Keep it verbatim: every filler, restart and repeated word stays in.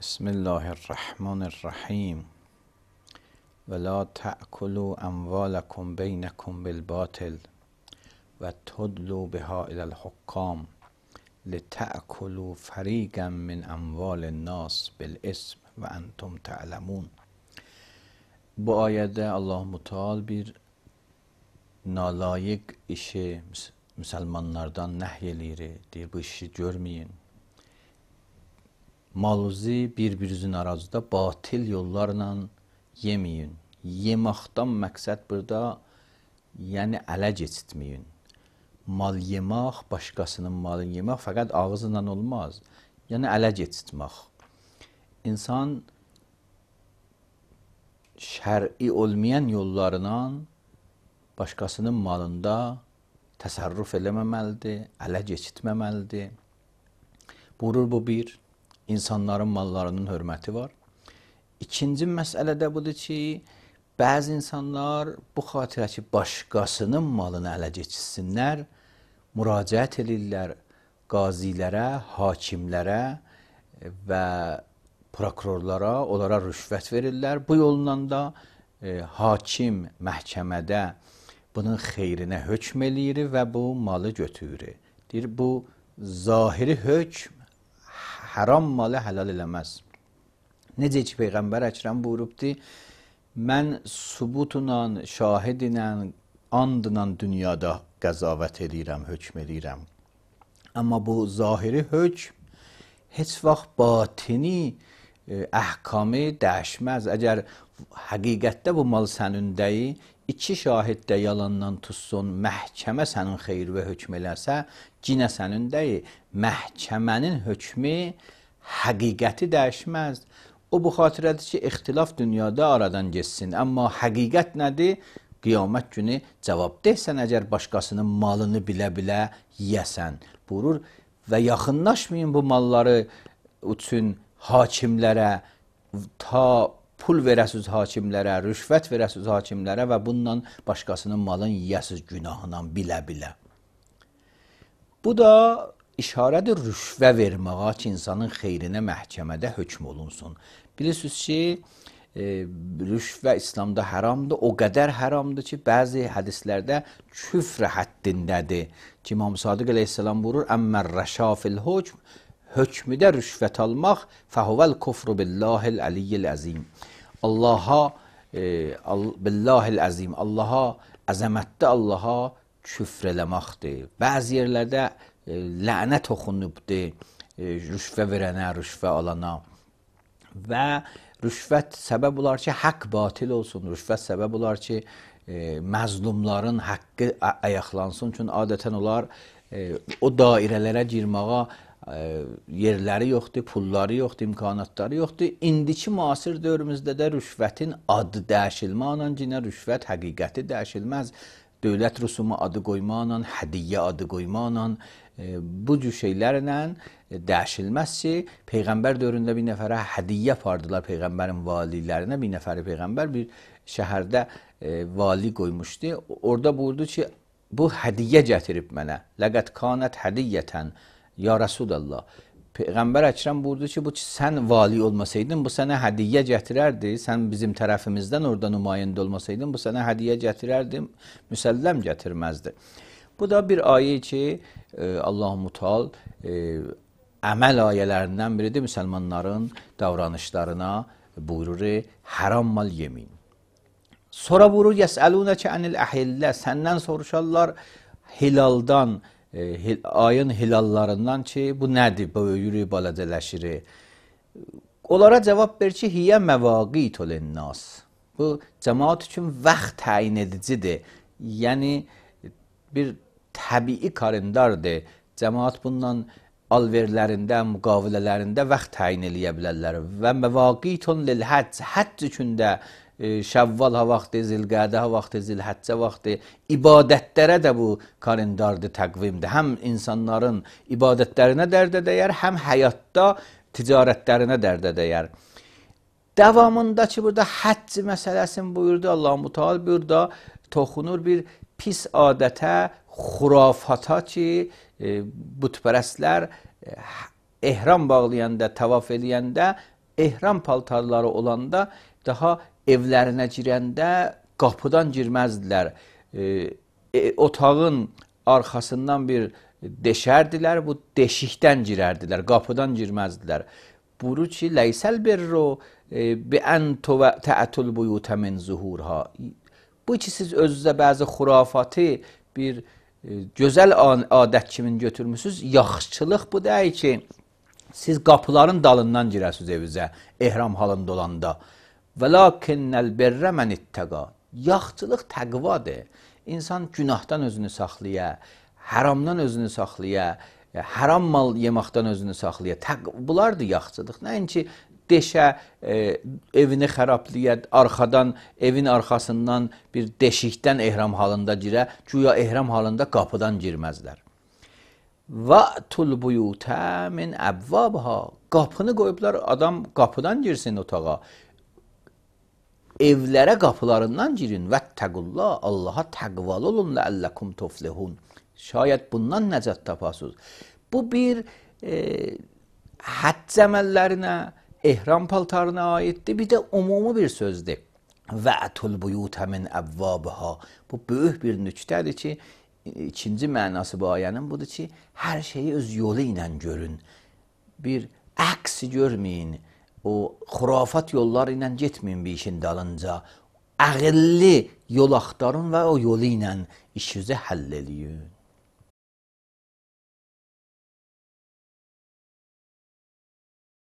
بسم الله الرحمن الرحیم ولا تأکلوا اموالکم بینکم بالباطل و تدلوا بها الی الحکام لتأکلوا فریقا من اموال الناس بالاسم و انتم تعلمون. Bu ayədə Allah-u Teala bir nalayiq işi müsəlmanlardan nəhy eləyir, deyir bu işi görməyin. Maluzu bir-birinizin arazıda batil yollarla yeməyin. Yemaqdan məqsəd burada, yəni ələ keçitməyin. Mal yemək, başqasının malını yemək fəqət ağzıyla olmaz. Yəni ələ keçitmək. İnsan şər'i olmayan yollarla başqasının malında təsərrüf eləməməlidir, ələ keçitməməlidir. Buyurur bu bir, insanların mallarının hörməti var. İkinci məsələ də budur ki, bəzi insanlar bu xatirə ki, başqasının malını ələ keçitsinlər, müraciət edirlər qazilərə, hakimlərə və prokurorlara, onlara rüşvət verirlər. Bu yolla da e, hakim məhkəmədə bunun xeyrinə hökm eləyir və bu malı götürür. Deyir, bu zahiri hökm haram malı həlal eləməz. Necə ki, Peyğəmbər Əkrəm buyurubdur, mən subutla, şahidlə, andla dünyada qəzavət edirəm, hökm edirəm. Amma bu zahiri hökm heç vaxt batini əhkamı dəyişməz. Əgər həqiqətdə bu mal sənindəyi, iki şahid də yalandan tutsun, məhkəmə sənin xeyrinə hökm eləsə, cinə sənindəyi, məhkəmənin hökmü həqiqəti dəyişməz. O bu xatirədir ki, ixtilaf dünyada aradan geçsin. Amma həqiqət nədir? Qiyamət günü cavab deysən, əgər başqasının malını bilə-bilə yiyəsən. Buyurur və yaxınlaşmayın bu malları üçün hakimlərə, ta pul verəsiz hakimlərə, rüşvət verəsiz hakimlərə və bununla başqasının malını yiyəsiz günahla bilə-bilə. Bu da işarədir rüşvə verməyə ki, insanın xeyrinə məhkəmədə hökm olunsun. Bilirsiniz ki, e, rüşvə İslamda haramdır. O qədər haramdır ki, bəzi hədislərdə küfr həddindədir. Ki, İmam Sadiq əleyhissalam buyurur, əmmər rəşa fil hökm, hökmüdə rüşvət almaq, fəhuvəl kufru billahil əliyyil əzim. Allaha, e, billahil əzim, Allaha, əzəmətdə Allaha küfr eləməkdir. Bəzi yerlərdə e, lənət oxunubdur, e, rüşvə verənə, rüşvə alana. Və rüşvət səbəb olar ki, haqq batil olsun, rüşvət səbəb olar ki, e, məzlumların haqqı ayaqlansın. Çünki adətən onlar e, o dairələrə girməyə e, yerləri yoxdur, pulları yoxdur, imkanatları yoxdur. İndiki müasir dövrümüzdə də rüşvətin adı dəyişilməklə, cinə rüşvət həqiqəti dəyişilməz. Dövlət rüsumu adı qoymaqla, hədiyyə adı qoymaqla, e, bu cür şeylərlə dəyişilməz ki, Peyğəmbər dövründə bir nəfərə hədiyyə apardılar Peyğəmbərin valilərinə. Bir nəfəri Peyğəmbər bir şəhərdə e, vali qoymuşdu. Orada buyurdu ki, bu hədiyyə gətirib mənə. Ləqət kanət hədiyyətən, ya Rasulallah. Peyğəmbər Əkrəm buyurdu ki, bu sən vali olmasaydın, bu sənə hədiyyə gətirərdi. Sən bizim tərəfimizdən orada nümayəndə olmasaydın, bu sənə hədiyyə gətirərdi, müsəlləm gətirməzdi. Bu da bir ayə ki, Allah-u Teala əməl ayələrindən biridir, müsəlmanların davranışlarına buyurur, haram mal yemin. Sonra buyurur, yəsəlunəkə ənil əhillə, səndən soruşarlar hilaldan, e, ayın hilallarından ki, bu nədir, böyüyür, balacələşir. Onlara cavab ver ki, hiyə məvaqitü linnas. Bu, cəmaat üçün vaxt təyin edicidir. Yəni, bir təbii kalendardır. Cəmaat bundan alverlərində, müqavilələrində vaxt təyin eləyə bilərlər. Və məvaqitun lil həcc, həcc üçün də e, şəvval ha vaxtı, zilqədə ha vaxtı, zilhəccə vaxtı, ibadətlərə də bu kalendardır, təqvimdir. Həm insanların ibadətlərinə dərdə dəyər, həm həyatda ticarətlərinə dərdə dəyər. Davamında ki, burada həcc məsələsini buyurdu Allah-u Teala, burada toxunur bir pis adətə, xurafata ki, e, bütpərəstlər e, ehram bağlayanda, tavaf eləyəndə ehram paltarları olanda daha evlərinə girəndə qapıdan girməzdilər. E, e, otağın arxasından bir deşərdilər, bu deşikdən girərdilər, qapıdan girməzdilər. Buyurur ki, leysel birru bi en ta'tul buyuta min zuhurha. Bu ki siz özünüzə bəzi xurafatı bir e, gözəl adət kimi götürmüsünüz. Yaxşılıq bu deyil ki, siz qapıların dalından girəsiniz evinizə, ehram halında olanda. Velakinnel birre men ittega. Yaxşılıq təqvadır. İnsan günahdan özünü saxlaya, haramdan özünü saxlaya, haram mal yeməkdən özünü saxlaya. Bunlardır yaxşılıq. Nəinki deşə, e, evini xərablaya, arxadan, evin arxasından bir deşikdən ehram halında girə, güya ehram halında qapıdan girməzlər. Va'tul buyuta min abwabha. Qapını qoyublar, adam qapıdan girsin otağa. Evlərə qapılarından girin. Vəttəqullah, Allaha təqvalı olun, ləəlləkum tuflihun. Şayət bundan nəcət tapasınız. Bu bir e, həcc əməllərinə, ehram paltarına aiddir. Bir də umumi bir sözdür. Və'tul buyuta min əvvabha. Bu böyük bir nüktədir ki, ikinci mənası bu ayənin budur ki, hər şeyi öz yolu ilə görün. Bir əksi görməyin. O xurafat yolları ilə getməyin bir işin dalınca. Əqilli yol axtarın və o yolu ilə işinizi həll eləyin.